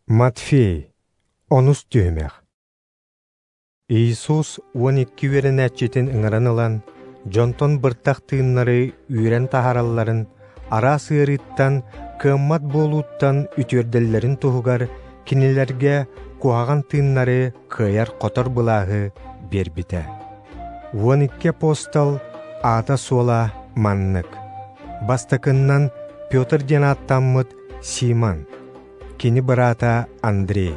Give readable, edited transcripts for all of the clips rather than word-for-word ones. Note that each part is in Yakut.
Матфей, онус түһүмэх. Иисус 12 үөрэнээччитин ыҥыран ылан, дьонтон быртах тыыннары үүрэн таһааралларын, араас ыарыыттан, кыаммат буолууттан үтүөрдэллэрин туһугар кинилэргэ куһаҕан тыыннары кыайар-хотор былааһы биэрбитэ. 12 апостол аата-суола маннык. Бастакыннан Петр диэн ааттаммыт Симон, кини быраата Андрей,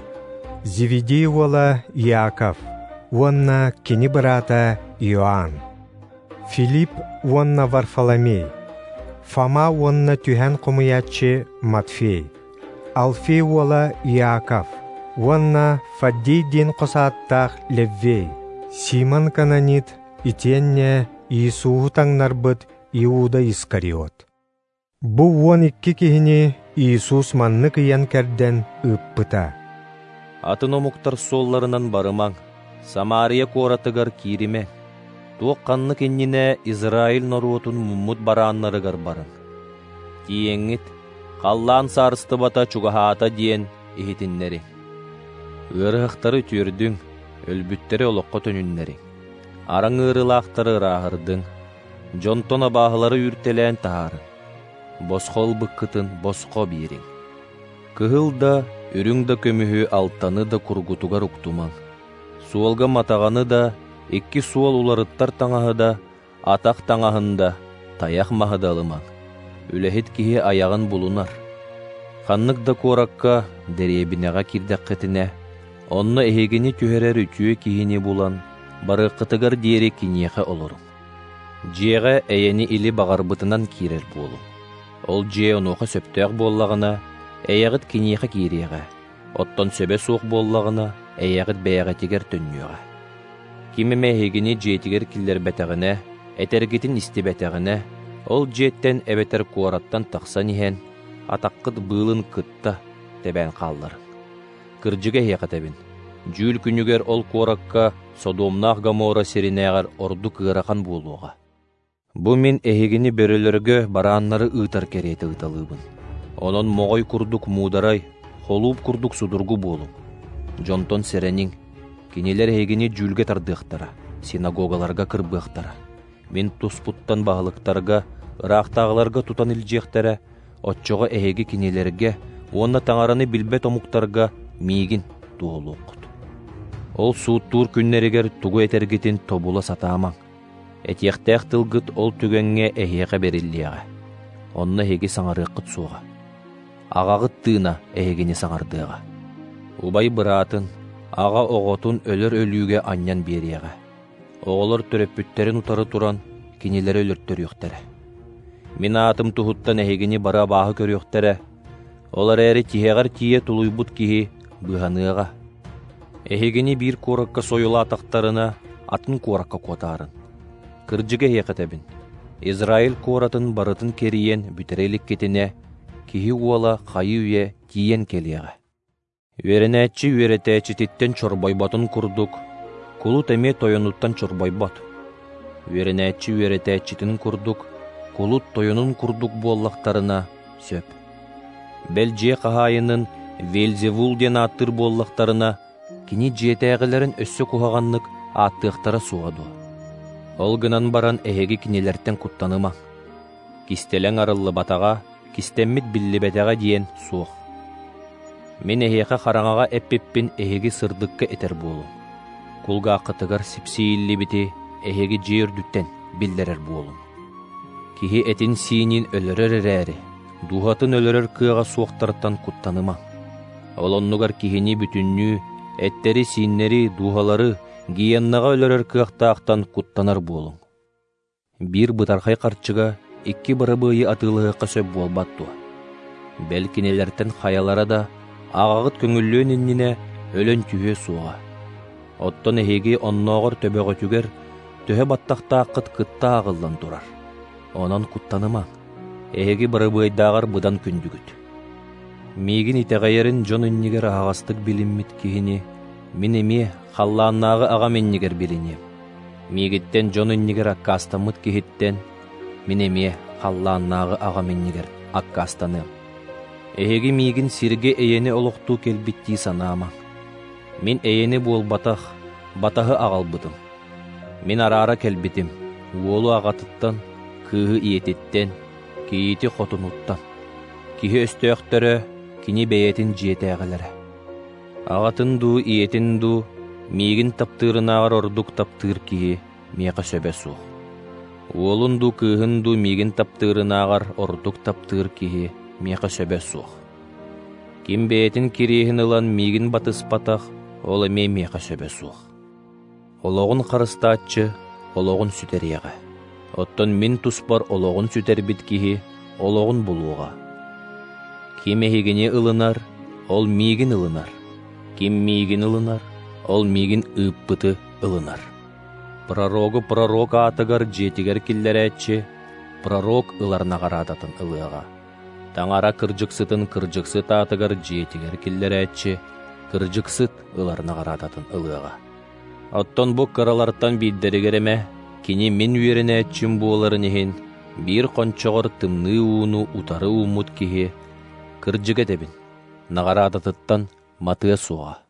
Зеведей уола Иаков уонна кини быраата Иоанн, Филипп уонна Варфоломей, Фома уонна түһэн хомуйааччы Матфей, Алфей уола Иаков уонна Фаддей диэн хос ааттаах Леввей, Симон Кананит итиэннэ Иисуһу таҥнарбыт Иуда Искариот. Бу 12 киһини Иисус маннык ыйан-кэрдэн ыыппыта. Атын омуктар суолларынан барымаҥ, Самария куоратыгар кииримэҥ. Туох ханнык иннинэ Израиль норуотун муммут барааннарыгар барыҥ. Тиийэҥҥит, халлаан саарыстыбата чугаһаата диэн иһитиннэриҥ. Ыарыһахтары үтүөрдүҥ, өлбүттэри олоххо төнүннэриҥ. Араҥ ыарыылаахтары ырааһырдыҥ, дьонтон абааһылары үүртэлээн таһаарыҥ. Босхо ылбыккытын босхо биэриҥ. Кыһыл да, үрүҥ да көмүһү алтаны да кургутугар уктумаҥ. Суолга матаҕаны да, икки суол уларыттар таҥаһы да, атах таҥаһын да, тайах маһы да ылымаҥ. Үлэһит киһи айаҕын булунар. Ханнык да куоракка, дэриэбинэҕэ киирдэххитинэ, онно эһигини түһэрэр үтүө киһини булан, барыаххытыгар диэри киниэхэ олоруҥ. Дьиэҕэ эйэни или баҕарбытынан киирэр буолуҥ. Ол дьиэ онуоха сөптөөх буоллаҕына, эйэҕит киниэхэ киириэҕэ, оттон сөбө суох буоллаҕына, эйэҕит бэйэҕитигэр төннүөҕэ. Ким эмэ эһигини дьиэтигэр киллэрбэтэҕинэ, этэргитин истибэтэҕинэ, ол дьиэттэн эбэтэр куораттан тахсан иһэн, атаххыт быылын кытта тэбээн хаалларыҥ. Кырдьыга эһиэхэ этэбин, дьүүл күнүгэр ол куоракка Содомнаах Гоморра сиринээҕэр ордук ыарахан буолуоҕа. Бу мин эһигини бөрөлөргө барааннары ыытар кэриэтэ ыыталыыбын. Онон моҕой курдук муударай, холууп курдук судургу буолуҥ. Дьонтон сэрэниҥ, кинилэр эһигини дьүүлгэ тардыахтара, синагогаларга кырбыахтара. Мин туспуттан баһылыктарга, ыраахтааҕыларга тутан илдьиэхтэрэ, оччоҕо эһиги кинилэргэ уонна таҥараны билбэт омуктарга миигин туоһулуоххут. Ол сууттуур күннэригэр тугу этэргитин тобула сатаамаҥ. Этиэхтээх тылгыт ол түгэҥҥэ эһиэхэ бэриллиэҕэ. Онно эһиги саҥарыаххыт суоҕа. Аҕаҕыт тыына эһигини саҥардыаҕа. Убай быраатын, аҕа оҕотун өлөр өлүүгэ анньан биэриэҕэ. Оҕолор төрөппүттэрин утары туран, кинилэри өлөртөрүөхтэрэ. Мин аатым туһуттан эһигини бары абааһы көрүөхтэрэ. Ол эрээри тиһэҕэр тиийэ тулуйбут киһи быыһаныаҕа. Эһигини биир куоракка сойулаатахтарына, атын куоракка куотаарын. Кырдьыга эһиэхэ этэбин, Израиль куоратын барытын кэрийэн бүтэрэ иликкитинэ, киһи уола хайыы-үйэ тиийэн кэлиэҕэ. Үөрэнээччи үөрэтээччититтэн чорбойботун курдук, кулут эмиэ тойонуттан чорбойбот. Үөрэнээччи үөрэтээччитин курдук, кулут тойонун курдук буоллахтарына сөп. Бэл дьиэ хаһаайынын Вельзевул диэн ааттыыр буоллахтарына, кини дьиэтээҕилэрин өссө куһаҕаннык ааттыахтара суоҕа дуо? Ол гынан баран эһиги кинилэртэн куттанымаҥ. Кистэлэҥ арыллыбатаҕа, кистэммит биллибэтэҕэ диэн суох. Мин эһиэхэ хараҥаҕа эппиппин эһиги сырдыкка этэр буолуҥ. Кулгааххытыгар сипсийиллибити эһиги дьиэ үрдүттэн биллэрэр буолуҥ. Киһи этин-сиинин өлөрөр эрээри, дууһатын өлөрөр кыаҕа суохтартан куттанымаҥ. Ол оннугар киһини бүтүннүү эттэри-сииннэри, дууһалары гиеннаҕа өлөрөр кыахтаахтан куттанар буолуҥ. Биир бытархай харчыга икки барабыайы атыылаһыахха сөп буолбат дуо? Бэл кинилэртэн хайалара да аҕаҕыт көҥүллүөн иннинэ өлөн түһүө суоҕа. Оттон эһиги оннооҕор төбөҕүтүгэр төһө баттахтааххыт кытта ааҕыллан турар. Онон куттанымаҥ, эһиги барабыайдааҕар быдан күндүгүт. Миигин итэҕэйэрин дьон иннигэр аһаҕастык билиммит киһини мин эмиэ халлааннааҕы аҕам иннигэр билиниэм. Миигиттэн дьон иннигэр аккаастаммыт киһиттэн мин эмиэ халлааннааҕы аҕам иннигэр аккаастаныам. Эһиги миигин сиргэ эйэни олохтуу кэлбиттии санаамаҥ. Мин эйэни буолбатах, батаһы аҕалбытым. Мин араара кэлбитим, уолу аҕатыттан, кыыһы ийэтиттэн, кийиити хотунуттан. Киһи өстөөхтөрө кини бэйэтин дьиэтээҕилэрэ. Аҕатын дуу, ийэтин дуу, миигин таптыырынааҕар ордук таптыыр киһи миэхэ сөбө суох. Уолун дуу, кыыһын дуу миигин таптыырынааҕар ордук таптыыр киһи миэхэ сөбө суох. Ким бэйэтин кириэһин ылан миигин батыспатах, ол эмиэ миэхэ сөбө суох. Олоҕун харыстааччы олоҕун сүтэриэҕэ. Оттон мин туспар олоҕун сүтэрбит киһи олоҕун булуоҕа. Ким эһигини ылынар, ол миигин ылынар. Ким миигин ылынар, ол миигин ыыппыты ылынар. Пророгу пророк аатыгар дьиэтигэр киллэрээччи, пророк ылар наҕараадатын ылыаҕа. Таҥара кырдьыксытын кырдьыксыт аатыгар дьиэтигэр киллэрээччи, кырдьыксыт ылар наҕараадатын ылыаҕа. Оттон бу кыралартан биирдэригэр эмэ, кини мин үөрэнээччим буоларын иһин, биир хончоҕор тымныы ууну утары ууммут киһи, кырдьык этэбин, наҕараадатыттан матыа суоҕа.